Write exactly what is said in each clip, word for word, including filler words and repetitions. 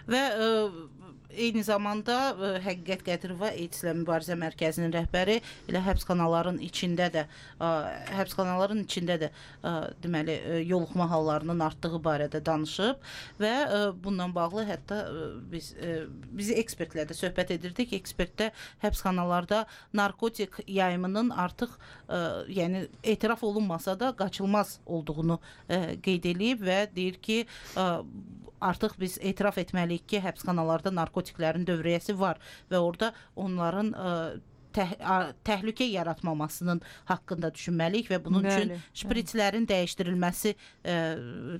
və ə, eyni zamanda ə, Həqiqət Qədirova AIDS-lə Mübarizə Mərkəzinin rəhbəri elə həbsxanaların içində də ə, həbsxanaların içində də ə, deməli ə, yoluxma hallarının artdığı barədə danışıb və ə, bununla bağlı hətta ə, biz ə, biz ekspertlərlə də söhbət edirdik. Ekspertdə həbsxanalarda narkotik yayımının artıq ə, yəni etiraf olunmasa da qaçılmaz olduğunu ə, qeyd edib və deyir ki, ə, artıq biz etiraf etməliyik ki, həbsxanalarda narkotiklərin dövriyyəsi var və orada onların ə, təh təhlükə yaratmamasının haqqında düşünməliyik və bunun Bəli, üçün şpritslərin dəyişdirilməsi ə,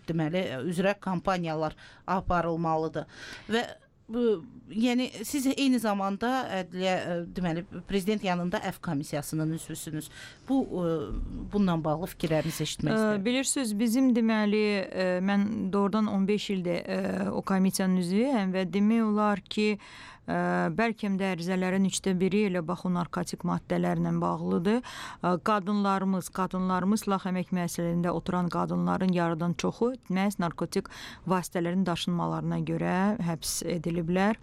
deməli üzrə kampaniyalar aparılmalıdır. Və bu, yəni siz eyni zamanda ədliyyə ə, deməli prezident yanında Əf komissiyasının üzvüsünüz. Bu ə, bununla bağlı fikirlərinizi eşitmək istəyirəm. Bilirsiniz, bizim deməli ə, mən doğrudan on beş ildir ə, o komissiyanın üzvüyəm və demək olar ki, ə, bəlkə də ərizələrin üçdə biri elə bax o narkotik maddələrlə bağlıdır. Ə, qadınlarımız, qadınlarımız silah əmək müəssisələrində oturan qadınların yarıdan çoxu məhz narkotik vasitələrin daşınmalarına görə həbs ediliblər.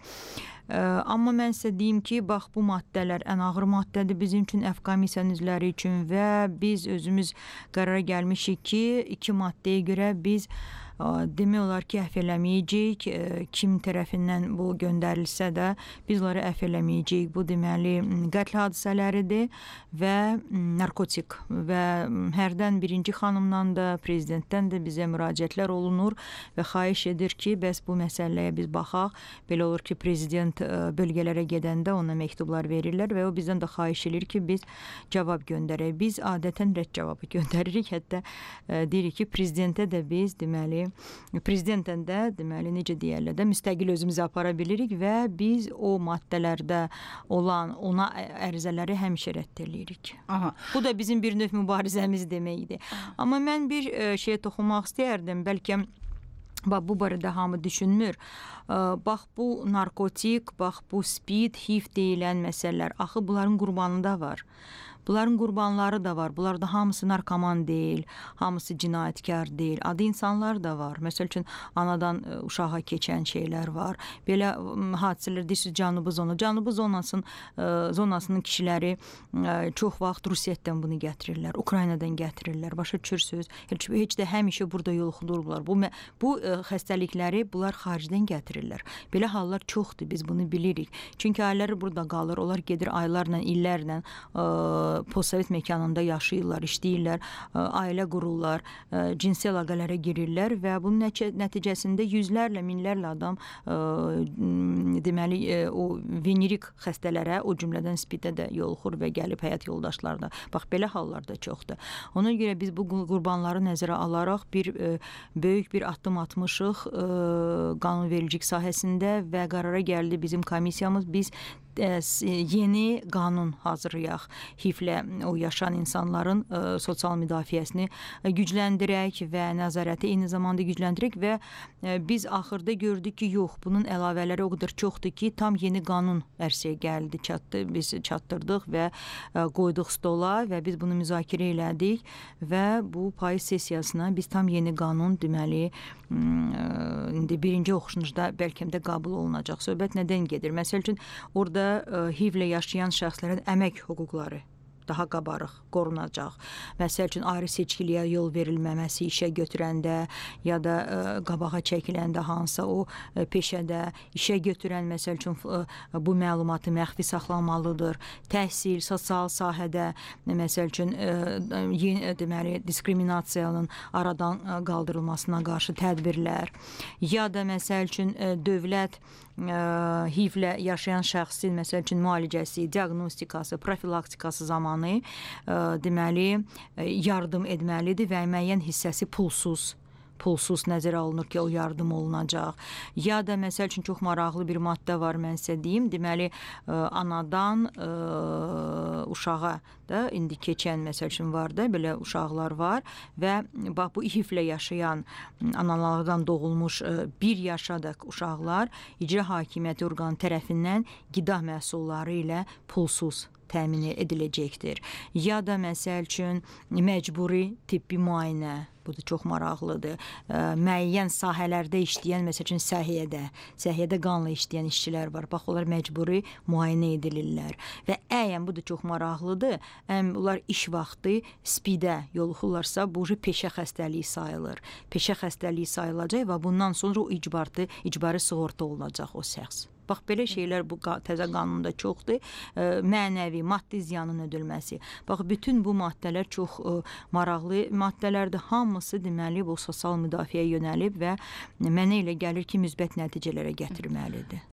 Ə, amma mən sizə deyim ki, bax bu maddələr ən ağır maddədir bizim üçün, Əf komissiyanın üzvləri üçün və biz özümüz qərara gəlmişik ki, iki maddəyə görə biz ə, demək olar ki, əf eləməyəcəyik. Ə, kim tərəfindən bu göndərilsə də biz onları əf eləməyəcəyik. Bu deməli qətl hadisələridir və narkotik və hərdən birinci xanımdan da, prezidentdən də bizə müraciətlər olunur və xahiş edir ki, bəs bu məsələyə biz baxaq. Belə olur ki, prezident bölgələrə gedəndə ona məktublar verirlər və o bizdən də xahiş edir ki, biz cavab göndərək. Biz adətən rədd cavabı göndəririk. Hətta ə, deyirik ki, prezidentə də biz deməli, prezidentən də deməli necə deyərlər də müstəqil özümüzü apara bilirik və biz o maddələrdə olan ona ərizələri həmişə rədd edirik. Aha. Bu da bizim bir növ mübarizəmiz deməkdir. Amma mən bir ə, şeyə toxunmaq istəyərdim. Bəlkə bax, bu barədə hamı düşünmür. Bax, bu narkotik, bax, bu speed, H I V deyilən məsələlər, axı bunların qurbanı da var. Bunların qurbanları da var. Bunlar da hamısı narkoman deyil, hamısı cinayətkar deyil. Adı insanlar da var. Məsəl üçün, anadan uşağa keçən şeylər var. Belə hadisələr deyirsiniz, Cənubi zona. Cənubi zonasının, zonasının kişiləri çox vaxt Rusiyadan bunu gətirirlər, Ukraynadan gətirirlər. Başa düşürsünüz. Heç, heç də həmişə burada yoluxulurlar. Bu, bu xəstəlikləri bunlar xaricdən gətirirlər. Belə hallar çoxdur, biz bunu bilirik. Çünki ailələri burada qalır. Onlar gedir aylarla, illərlə postsovet məkanında yaşayırlar, işləyirlər, ailə qururlar, cinsi əlaqələrə girirlər və bunun nəticəsində yüzlərlə, minlərlə adam deməli o venerik xəstələrə, o cümlədən spidə də yoluxur və gəlib həyat yoldaşlarına. Bax, belə hallar da çoxdur. Ona görə biz bu qurbanları nəzərə alaraq bir böyük bir addım atmışıq qanunvericilik sahəsində və qərara gəldi bizim komissiyamız, biz yeni qanun hazırlayaq. H I V-lə o yaşayan insanların ə, sosial müdafiəsini gücləndirək və nəzarəti eyni zamanda gücləndirək və ə, biz axırda gördük ki, yox, bunun əlavələri o qədər çoxdur ki, tam yeni qanun ərsəyə gəldi, çatdı, biz çatdırdıq və ə, qoyduq stola və biz bunu müzakirə elədik və bu payız sessiyasına biz tam yeni qanun deməli ə, indi birinci oxuşunuzda bəlkə də qəbul olunacaq. Söhbət nədən gedir? Məsəl üçün, orada H I V-lə yaşayan şəxslərin əmək hüquqları daha qabarıq qorunacaq. Məsəl üçün, ayrı seçkiliyə yol verilməməsi işə götürəndə ya da ə, qabağa çəkiləndə hansısa o ə, peşədə işə götürən, məsəl üçün, ə, bu məlumatı məxfi saxlanmalıdır. Təhsil, sosial sahədə, məsəl üçün, ə, yeni, deməli, diskriminasiyanın aradan ə, qaldırılmasına qarşı tədbirlər ya da, məsəl üçün, ə, dövlət H I V-lə yaşayan şəxsin, məsəl üçün, müalicəsi, diaqnostikası, profilaktikası zamanı ə, deməli, yardım etməlidir və müəyyən hissəsi pulsuz pulsuz nəzərə alınır ki, o yardım olunacaq. Ya da, məsəl üçün, çox maraqlı bir maddə var, mən sizə deyim. Deməli, ə, anadan ə, uşağa da indi keçən, məsəl üçün, var da, belə uşaqlar var və bax, bu H I V-lə yaşayan analardan doğulmuş ə, bir yaşadək uşaqlar icra hakimiyyəti orqanı tərəfindən qida məhsulları ilə pulsuz təmin ediləcəkdir. Ya da məsəl üçün məcburi tibbi müayinə, bu da çox maraqlıdır. Ə, müəyyən sahələrdə işləyən, məsəl üçün səhiyyədə, səhiyyədə qanla işləyən işçilər var. Bax, onlar məcburi müayinə edilirlər. Və əyən, bu da çox maraqlıdır, əm, onlar iş vaxtı spidə yoluxurlarsa, bu peşə xəstəliyi sayılır. Peşə xəstəliyi sayılacaq və bundan sonra o icbarlı, icbari sığorta olunacaq o şəxs. Bax, belə şeylər bu təzə qanunda çoxdur. E, mənəvi, maddi ziyanın ödülməsi. Bax, bütün bu maddələr çox e, maraqlı maddələrdir. Hamısı deməli bu sosial müdafiəyə yönəlib və mənə elə gəlir ki, müsbət nəticələrə gətirməlidir.